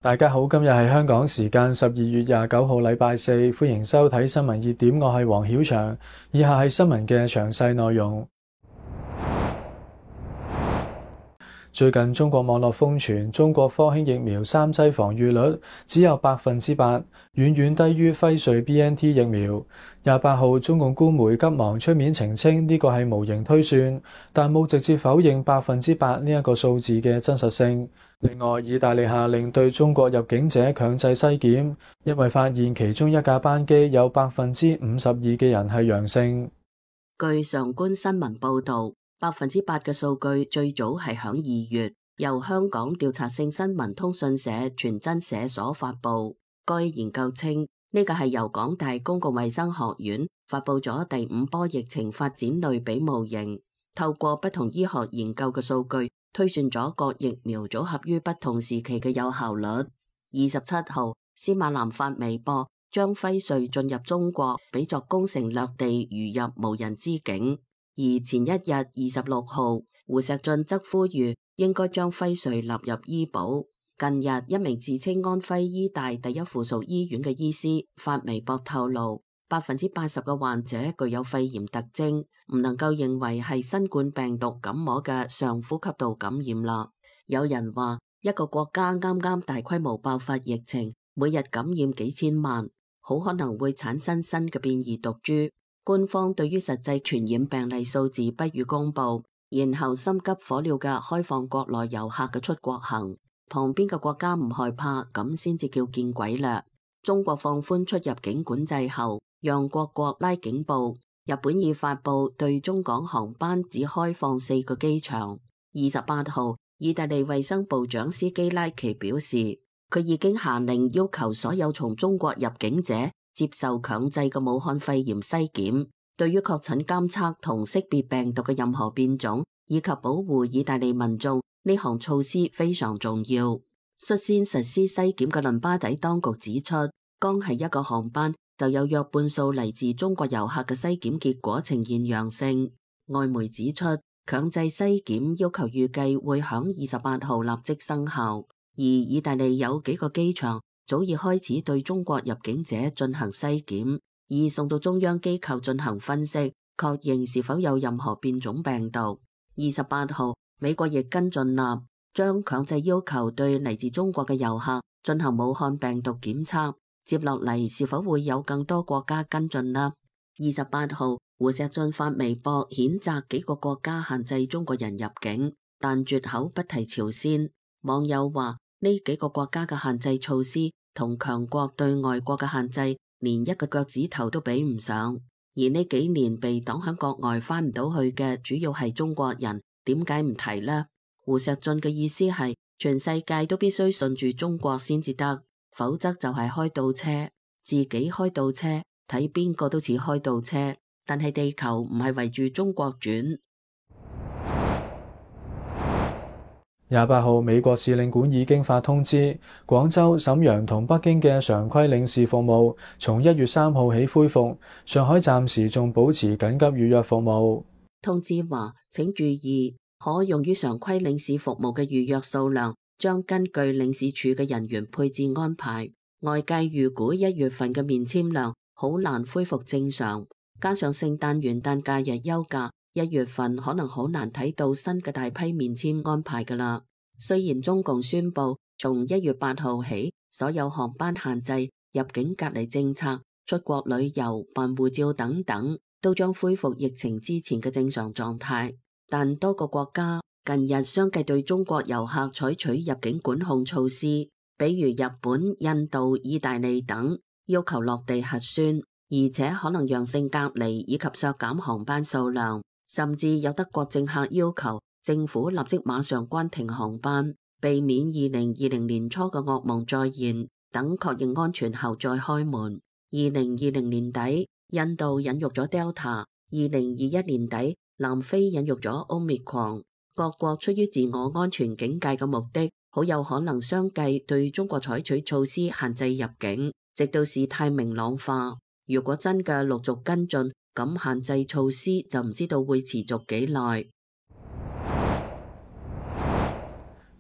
大家好，今日係香港時間12月29號，禮拜四，歡迎收睇新聞熱點，我係黃曉翔。以下係新聞嘅詳細內容。最近中國網絡瘋傳，中國科興疫苗3劑防禦率只有8%，遠遠低於輝瑞 BNT 疫苗。28號，中共官媒急忙出面澄清呢個係模型推算，但冇直接否認8%呢一個數字嘅真實性。另外，意大利下令對中國入境者強制篩檢，因為發現其中一架班機有52%嘅人係陽性。據上官新聞報導，8%嘅數據最早係響2月，由香港調查性新聞通訊社傳真社所發布。該研究稱，呢個係由港大公共衛生學院發布咗第5波疫情發展類比模型，透過不同醫學研究嘅數據，推算咗各疫苗組合於不同時期嘅有效率。27號，司馬南發微博，將輝瑞進入中國比作攻城略地，如入無人之境。而前一日26號，胡錫進則呼籲應該將輝瑞納入醫保。近日，一名自稱安徽醫大第一附屬醫院嘅醫師發微博透露，80%嘅患者具有肺炎特徵，唔能夠認為係新冠病毒感冒嘅上呼吸道感染啦。有人話，一個國家啱啱大規模爆發疫情，每日感染幾千萬，好可能會產生新嘅變異毒株。官方對於實際傳染病例數字不予公布，然後心急火燎嘅開放國內遊客嘅出國行，旁邊嘅國家唔害怕，咁先至叫見鬼啦。中國放寬出入境管制後，讓各國拉警報。日本已發布對中港航班只開放4個機場。28號，意大利衛生部長斯基拉奇表示，佢已經下令要求所有從中國入境者接受強制嘅武漢肺炎篩檢。對於確診監測同識別病毒嘅任何變種，以及保護意大利民眾，呢項措施非常重要。率先實施篩檢嘅倫巴第當局指出，剛係一個航班就有約半數嚟自中國遊客嘅篩檢結果呈現陽性。外媒指出，強制篩檢要求預計會響28號立即生效，而意大利有幾個機場早已開始對中國入境者進行篩檢，而送到中央機構進行分析，確認是否有任何變種病毒。28號，美國亦跟進啦，將強制要求對嚟自中國嘅遊客進行武漢病毒檢測。接落嚟是否會有更多國家跟進呢？28號，胡錫進發微博譴責幾個國家限制中國人入境，但絕口不提朝鮮。網友話，呢幾個國家嘅限制措施同強國對外國嘅限制連一個腳趾頭都比唔上。而呢幾年被擋喺國外翻唔到去嘅主要係中國人，點解唔提呢？胡錫進嘅意思係全世界都必須順住中國先至得，否則就係開倒車，自己開倒車，睇邊個都似開倒車，但係地球唔係圍住中國轉。28號，美國使領館已經發通知，廣州、瀋陽同北京嘅常規領事服務從1月3號起恢復，上海暫時仲保持緊急預約服務。通知話，請注意，可用於常規領事服務嘅預約數量將根據領事處嘅人員配置安排。外界預估1月份嘅面簽量好難恢復正常，加上聖誕元旦假日休假，1月份可能好難睇到新嘅大批面簽安排㗎啦。雖然中共宣布從1月8號起，所有航班限制、入境隔離政策、出國旅遊、辦護照等等都將恢復疫情之前嘅正常狀態，但多個國家近日相繼對中國遊客採取入境管控措施，比如日本、印度、意大利等，要求落地核酸，而且可能陽性隔離以及削減航班數量，甚至有德國政客要求政府立即馬上關停航班，避免2020年初嘅噩夢再現，等確認安全後再開門。2020年底，印度引入咗 Delta，2021年底，南非引入咗 Omicron。各國出於自我安全警戒嘅目的，好有可能相繼對中國採取措施限制入境，直到事態明朗化。如果真嘅陸續跟進，咁限制措施就唔知道會持續幾耐。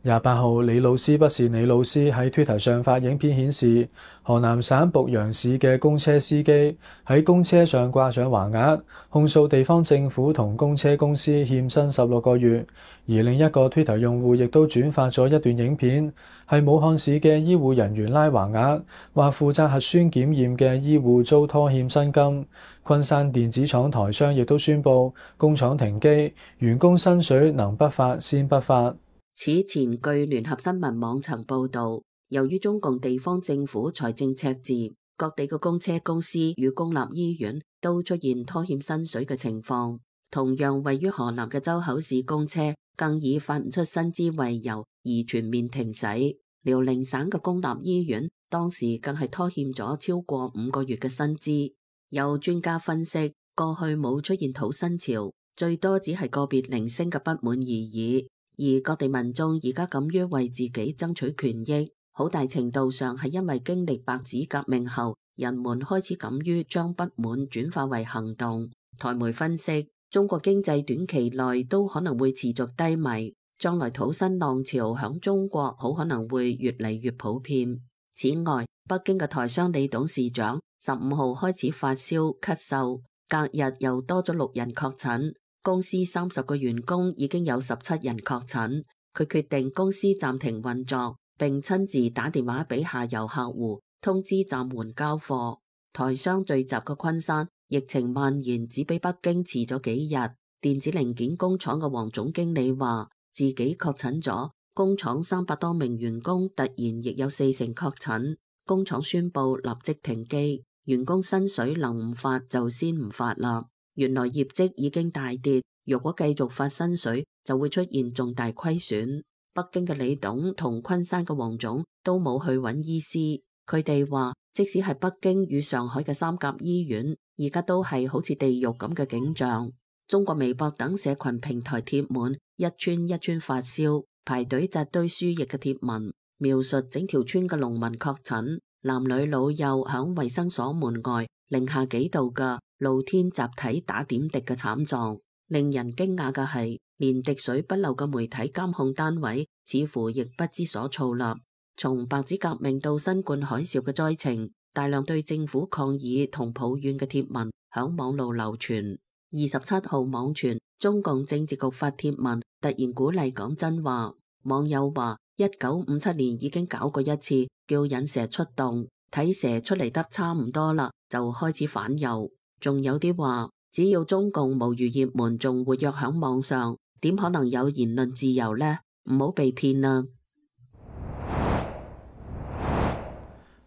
28號，李老師不是你老師喺 Twitter 上發影片顯示，河南省濮陽市嘅公車司機喺公車上掛上橫額，控訴地方政府同公車公司欠薪16個月。而另一個 Twitter 用戶亦都轉發咗一段影片，係武漢市嘅醫護人員拉橫額，話負責核酸檢驗嘅醫護遭拖欠薪金。昆山電子廠台商亦都宣布工廠停機，員工薪水能不發先不發。此前據聯合新聞網曾報道，由於中共地方政府財政赤字，各地嘅公車公司與公立醫院都出現拖欠薪水嘅情況。同樣位於河南嘅周口市公車更以發唔出薪資為由而全面停駛。遼寧省嘅公立醫院當時更係拖欠咗超過5個月嘅薪資。有專家分析，過去冇出現討薪潮，最多只係個別零星嘅不滿而已。而各地民眾而家敢於為自己爭取權益，好大程度上係因為經歷白紙革命後，人們開始敢於將不滿轉化為行動。台媒分析，中國經濟短期內都可能會持續低迷，將來討薪浪潮響中國好可能會越嚟越普遍。此外，北京嘅台商李董事長15號開始發燒咳嗽，隔日又多咗6人確診。公司30個員工已經有17人確診，佢決定公司暫停運作，並親自打電話俾下游客戶，通知暫緩交貨。台商聚集嘅昆山，疫情蔓延只比北京遲咗幾日。電子零件工廠嘅黃總經理話，自己確診咗，工廠300多名員工突然亦有40成確診，工廠宣布立即停機，員工薪水能唔發就先唔發啦。原來業績已經大跌，如果繼續發薪水，就會出現重大虧損。北京嘅李董同昆山嘅黃總都冇去揾醫師，佢哋話，即使係北京與上海嘅3甲醫院，而家都係好似地獄咁嘅景象。中國微博等社群平台貼滿一村一村發燒、排隊扎堆輸液嘅貼文，描述整條村嘅農民確診，男女老幼響衛生所門外零下幾度嘅露天集體打點滴嘅慘狀。令人驚訝嘅係，連滴水不漏嘅媒體監控單位似乎亦不知所措啦。從白紙革命到新冠海嘯嘅災情，大量對政府抗議同抱怨嘅貼文響網路流傳。27號網傳中共政治局發貼文，突然鼓勵講真話。網友話1957年已經搞過一次，叫引蛇出洞，睇蛇出嚟得差唔多啦，就開始反右。仲有啲話，只要中共無餘業門仲活躍響網上，點可能有言論自由呢？唔好被騙啦！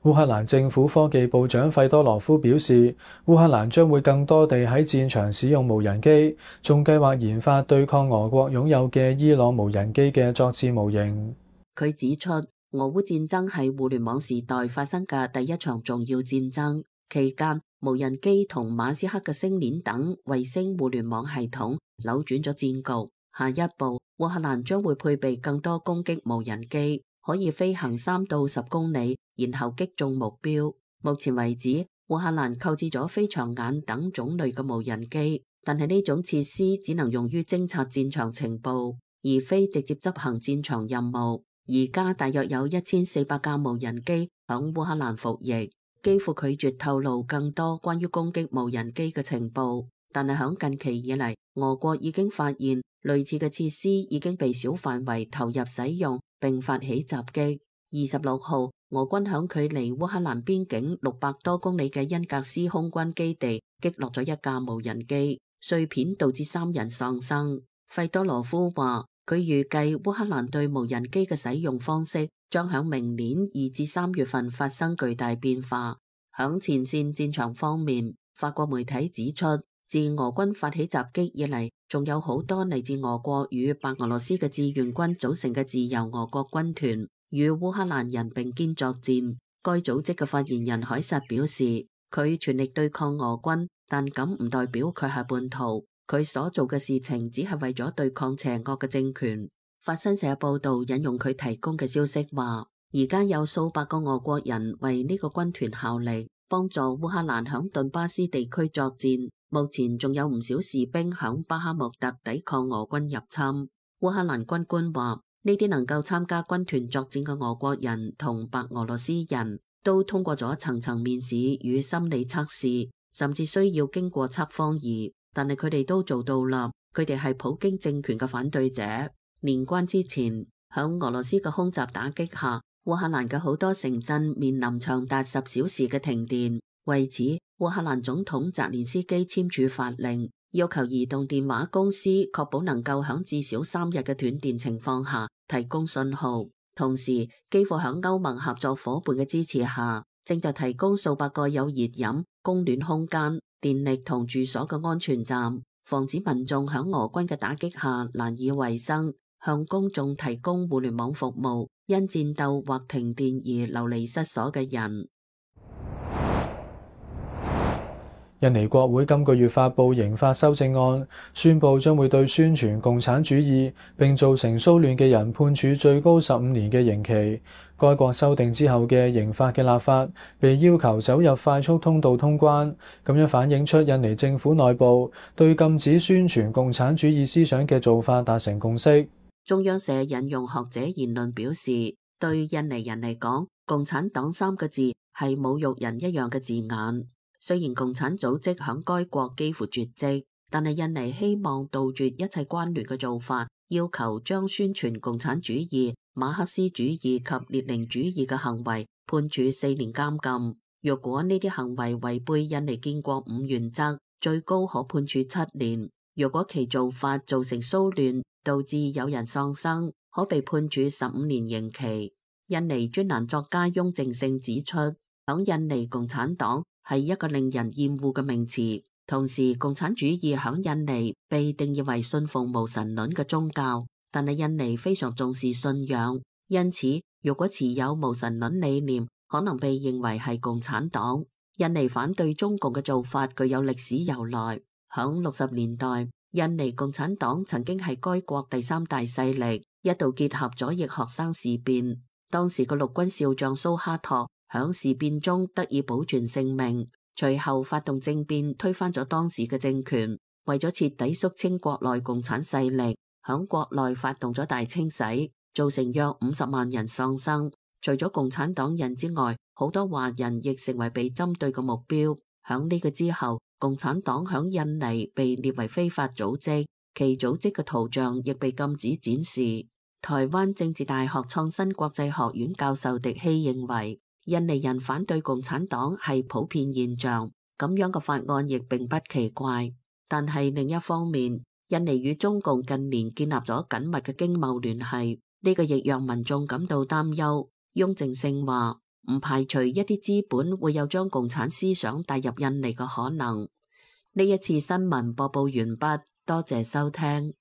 烏克蘭政府科技部長費多羅夫表示，烏克蘭將會更多地喺戰場使用無人機，仲計劃研發對抗俄國擁有嘅伊朗無人機嘅作戰模型。佢指出，俄烏戰爭係互聯網時代發生嘅第一場重要戰爭，期間無人機同馬斯克嘅星鏈等衛星互聯網系統扭轉咗戰局。下一步，烏克蘭將會配備更多攻擊無人機，可以飛行3到10公里，然後擊中目標。目前為止，烏克蘭購置咗飛翔眼等種類嘅無人機，但係呢種設施只能用於偵察戰場情報，而非直接執行戰場任務。而家大約有1400架無人機響烏克蘭服役。幾乎拒絕透露更多關於攻擊無人機嘅情報，但係響近期以嚟，俄國已經發現類似嘅設施已經被小範圍投入使用，並發起襲擊。26號，俄軍響距離烏克蘭邊境600多公里嘅恩格斯空軍基地擊落咗一架無人機，碎片導致3人喪生。費多羅夫話，佢預計烏克蘭對無人機嘅使用方式將響明年2至3月份發生巨大變化。響前線戰場方面，法國媒體指出，自俄軍發起襲擊以嚟，仲有好多嚟自俄國與白俄羅斯嘅志願軍組成嘅自由俄國軍團與烏克蘭人並肩作戰。該組織嘅發言人凱撒表示，佢全力對抗俄軍，但咁唔代表佢係叛徒。佢所做嘅事情只係為咗對抗邪惡嘅政權。法新社報道引用佢提供嘅消息話，而家有數百個俄國人為呢個軍團效力，幫助烏克蘭響頓巴斯地區作戰。目前仲有唔少士兵響巴哈穆特抵抗俄軍入侵。烏克蘭軍官話，呢啲能夠參加軍團作戰嘅俄國人同白俄羅斯人都通過咗層層面試與心理測試，甚至需要經過測謊儀，但係佢哋都做到啦。佢哋係普京政權嘅反對者。年關之前，響俄羅斯嘅空襲打擊下，烏克蘭嘅好多城鎮面臨長達10小時嘅停電。為此，烏克蘭總統澤連斯基簽署法令，要求移動電話公司確保能夠響至少3日嘅斷電情況下提供信號。同時，基輔響歐盟合作夥伴嘅支持下，正在提供數百個有熱飲、供暖空間、電力同住所嘅安全站，防止民眾響俄軍嘅打擊下難以為生。向公眾提供互聯網服務，因戰鬥或停電而流離失所嘅人。印尼國會今個月發布刑法修正案，宣布將會對宣傳共產主義並造成騷亂嘅人判處最高15年嘅刑期。該國修訂之後嘅刑法嘅立法被要求走入快速通道通關，咁樣反映出印尼政府內部對禁止宣傳共產主義思想嘅做法達成共識。中央社引用學者言論表示，對印尼人嚟講，共產黨3個字係侮辱人一樣嘅字眼。雖然共產組織響該國幾乎絕跡，但係印尼希望杜絕一切關聯嘅做法，要求將宣傳共產主義、馬克思主義及列寧主義嘅行為判處4年監禁。若果呢啲行為違背印尼建國5原則，最高可判處7年。若果其做法造成騷亂，導致有人喪生，可被判處15年刑期。印尼專欄作家翁正勝指出，響印尼共產黨係一個令人厭惡嘅名詞，同時共產主義響印尼被定義為信奉無神論嘅宗教，但係印尼非常重視信仰，因此如果持有無神論理念，可能被認為係共產黨。印尼反對中共嘅做法具有歷史由來，響60年代，印尼共產黨曾經係該國第3大勢力，一度結合左翼學生事變。當時嘅陸軍少將蘇哈托響事變中得以保存性命，隨後發動政變推翻咗當時嘅政權，為咗徹底肅清國內共產勢力，響國內發動咗大清洗，造成約50萬人喪生。除咗共產黨人之外，好多華人亦成為被針對嘅目標。響呢個之後，共產黨響印尼被列為非法組織，其組織嘅圖像亦被禁止展示。台灣政治大學創新國際學院教授狄希認為，印尼人反對共產黨係普遍現象，咁樣嘅法案亦並不奇怪。但係另一方面，印尼與中共近年建立咗緊密嘅經貿聯繫，呢個亦讓民眾感到擔憂。翁正勝話，唔排除一啲資本會有將共產思想帶入印尼嘅可能。呢一次新聞播報完畢，多謝收聽。